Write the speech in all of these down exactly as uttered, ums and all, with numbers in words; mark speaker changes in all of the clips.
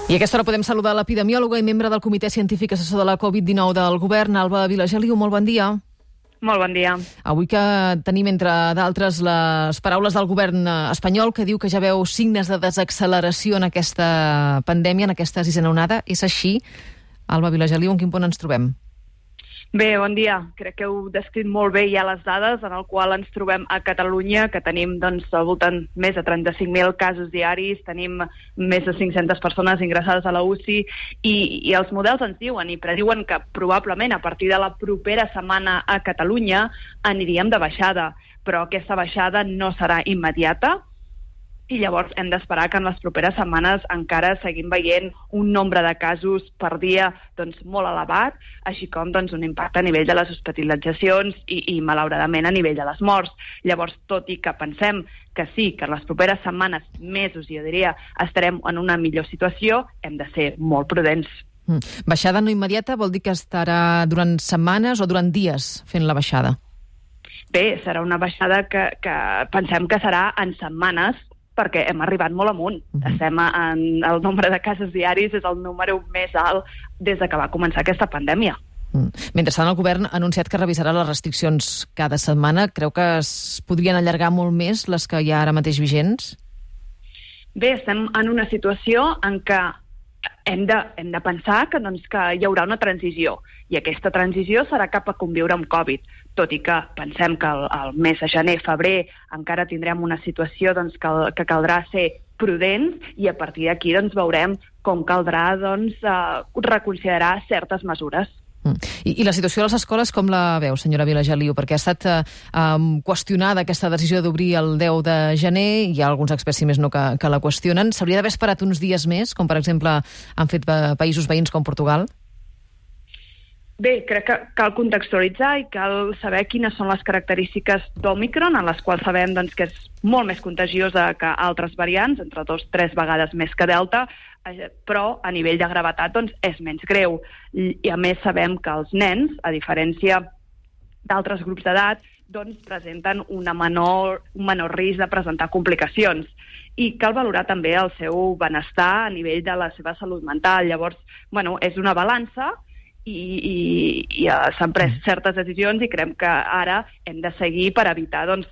Speaker 1: I a aquesta hora podem saludar l'epidemiòloga i membre del Comitè Científic Assessor de la Covid dinou del Govern, Alba Vilageliu. Molt bon dia.
Speaker 2: Molt bon dia.
Speaker 1: Avui que tenim, entre d'altres, les paraules del govern espanyol, que diu que ja veu signes de desacceleració en aquesta pandèmia, en aquesta sisena onada. És així? Alba Vilageliu, en quin punt ens trobem?
Speaker 2: Bé, bon dia. Crec que heu descrit molt bé ja les dades en el qual ens trobem a Catalunya, que tenim doncs, al voltant més de trenta-cinc mil casos diaris, tenim més de cinc-centes persones ingressades a la U C I i, i els models ens diuen i prediuen que probablement a partir de la propera setmana a Catalunya aniríem de baixada, però aquesta baixada no serà immediata. I llavors hem d'esperar que en les properes setmanes encara seguim veient un nombre de casos per dia doncs, molt elevat, així com doncs, un impacte a nivell de les hospitalitzacions i, i malauradament a nivell de les morts. Llavors, tot i que pensem que sí, que en les properes setmanes, mesos, jo diria, estarem en una millor situació, hem de ser molt prudents.
Speaker 1: Mm. Baixada no immediata vol dir que estarà durant setmanes o durant dies fent la baixada?
Speaker 2: Bé, serà una baixada que, que pensem que serà en setmanes, perquè hem arribat molt amunt. Uh-huh. Estem en el nombre de casos diaris, és el número més alt des de que va començar aquesta pandèmia.
Speaker 1: Mm. Mentrestant, el govern ha anunciat que revisarà les restriccions cada setmana. Creu que es podrien allargar molt més les que hi ha ara mateix vigents?
Speaker 2: Bé, estem en una situació en què hem de, hem de pensar que, doncs, que hi haurà una transició, i aquesta transició serà cap a conviure amb Covid, tot i que pensem que el, el mes de gener, febrer, encara tindrem una situació doncs, que, que caldrà ser prudents, i a partir d'aquí doncs, veurem com caldrà doncs, uh, reconsiderar certes mesures.
Speaker 1: Mm. I, I la situació a les escoles com la veu, senyora Vilageliu? Perquè ha estat eh, um, qüestionada aquesta decisió d'obrir el deu de gener, hi ha alguns experts, si més no, que, que la qüestionen. S'hauria d'haver esperat uns dies més, com per exemple han fet eh, països veïns com Portugal?
Speaker 2: Bé, crec que cal contextualitzar i cal saber quines són les característiques d'Òmicron, en les quals sabem doncs, que és molt més contagiosa que altres variants, entre dos o tres vegades més que Delta, però a nivell de gravetat doncs, és menys greu. I a més sabem que els nens, a diferència d'altres grups d'edat, doncs, presenten una menor, un menor risc de presentar complicacions. I cal valorar també el seu benestar a nivell de la seva salut mental. Llavors, bueno, és una balança, i, i, i uh, s'han pres certes decisions i creiem que ara hem de seguir per evitar doncs,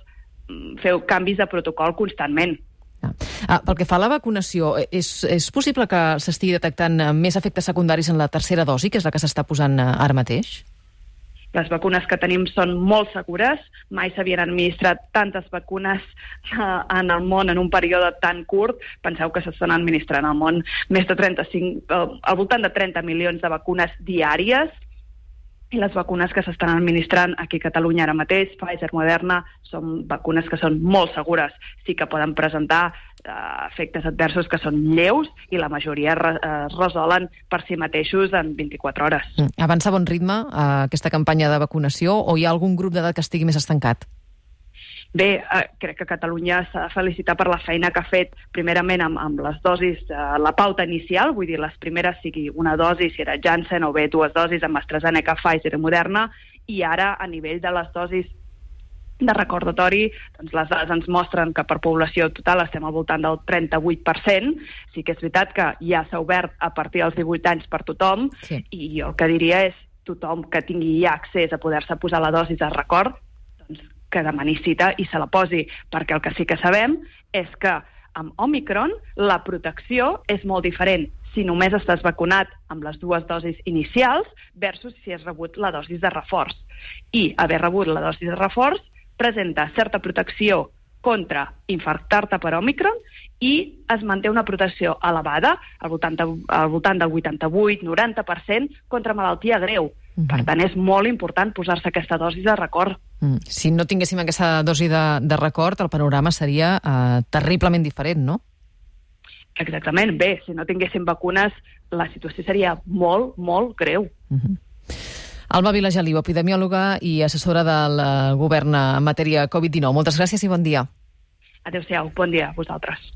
Speaker 2: fer canvis de protocol constantment.
Speaker 1: Ah. Ah, pel que fa a la vacunació, és, és possible que s'estigui detectant més efectes secundaris en la tercera dosi, que és la que s'està posant ara mateix?
Speaker 2: Les vacunes que tenim són molt segures, mai s'havien administrat tantes vacunes uh, en el món en un període tan curt. Penseu que s'estan administrant al món més de trenta-cinc, uh, al voltant de trenta milions de vacunes diàries, i les vacunes que s'estan administrant aquí a Catalunya ara mateix, Pfizer, Moderna, són vacunes que són molt segures. Sí que poden presentar uh, efectes adversos que són lleus i la majoria re, uh, resolen per si mateixos en vint-i-quatre hores.
Speaker 1: Mm. Avança a bon ritme uh, aquesta campanya de vacunació, o hi ha algun grup d'edat que estigui més estancat?
Speaker 2: Bé, eh, crec que Catalunya s'ha de felicitar per la feina que ha fet primerament amb, amb les dosis, eh, la pauta inicial, vull dir, les primeres sigui una dosi, si era Janssen, o bé dues dosis amb AstraZeneca, Pfizer i Moderna, i ara a nivell de les dosis de recordatori, doncs les dades ens mostren que per població total estem al voltant del trenta-vuit per cent. Sí que és veritat que ja s'ha obert a partir dels divuit anys per tothom, sí. I jo el que diria és tothom que tingui ja accés a poder-se posar la dosi de record, doncs que demani cita i se la posi, perquè el que sí que sabem és que amb Òmicron la protecció és molt diferent si només estàs vacunat amb les dues dosis inicials versus si has rebut la dosi de reforç. I haver rebut la dosi de reforç presenta certa protecció contra infarctar-te per Òmicron i es manté una protecció elevada, al voltant, de, al voltant del vuitanta-vuit a noranta per cent, contra malaltia greu. Uh-huh. Per tant, és molt important posar-se aquesta dosi de record.
Speaker 1: Mm. Si no tinguéssim aquesta dosi de, de record, el panorama seria eh, terriblement diferent, no?
Speaker 2: Exactament. Bé, si no tinguéssim vacunes, la situació seria molt, molt greu.
Speaker 1: Uh-huh. Alba Vilageliu, epidemiòloga i assessora del govern en matèria Covid dinou. Moltes gràcies i bon dia.
Speaker 2: Adéu-siau. Bon dia a vosaltres.